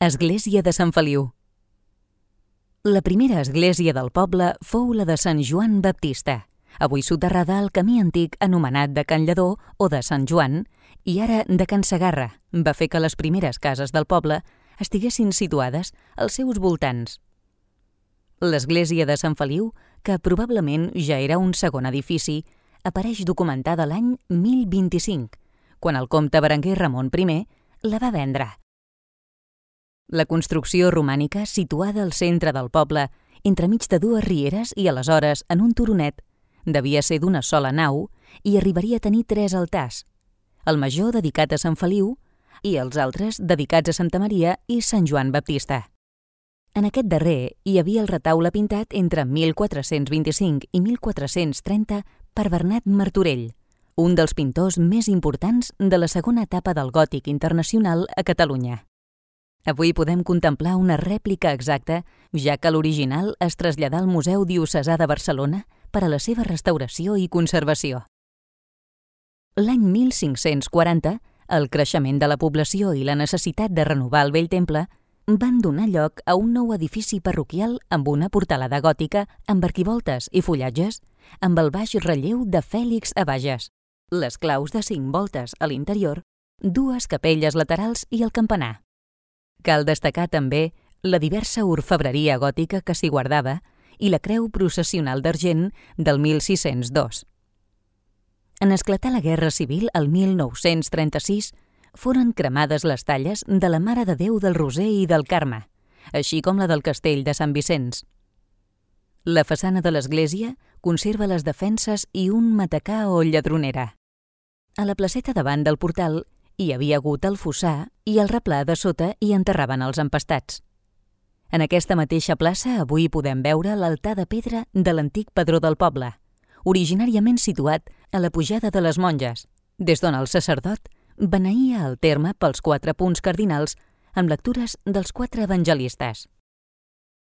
Església de Sant Feliu. La primera església del poble fou la de Sant Joan Baptista, avui soterrada al camí antic anomenat de Can Lledó o de Sant Joan, i ara de Can Segarra. Va fer que les primeres cases del poble estiguessin situades als seus voltants. L'església de Sant Feliu, que probablement ja era un segon edifici, apareix documentada l'any 1025, quan el comte Berenguer Ramon I la va vendre. La construcció romànica, situada al centre del poble, entremig de dues rieres i aleshores en un turonet, devia ser d'una sola nau i arribaria a tenir 3 altars, el major dedicat a Sant Feliu i els altres dedicats a Santa Maria i Sant Joan Baptista. En aquest darrer hi havia el retaule pintat entre 1425 i 1430 per Bernat Martorell, un dels pintors més importants de la segona etapa del gòtic internacional a Catalunya. Avui podem contemplar una rèplica exacta, ja que l'original es traslladà al Museu Diocesà de Barcelona per a la seva restauració i conservació. L'any 1540, el creixement de la població i la necessitat de renovar el vell temple van donar lloc a un nou edifici parroquial amb una portalada gòtica amb arquivoltes i fullatges, amb el baix relleu de Fèlix a Bages, les claus de 5 voltes a l'interior, 2 capelles laterals i el campanar. Cal destacar també la diversa orfebreria gòtica que s'hi guardava i la creu processional d'argent del 1602. En esclatar la Guerra Civil el 1936, foren cremades les talles de la Mare de Déu del Roser i del Carme, així com la del Castell de Sant Vicenç. La façana de l'església conserva les defenses i un matacà o lladronera. A la placeta davant del portal hi havia hagut el fossar i el replà de sota hi enterraven els empastats. En aquesta mateixa plaça avui podem veure l'altar de pedra de l'antic padró del poble, originàriament situat a la pujada de les Monges, des d'on el sacerdot beneïa el terme pels 4 punts cardinals amb lectures dels 4 evangelistes.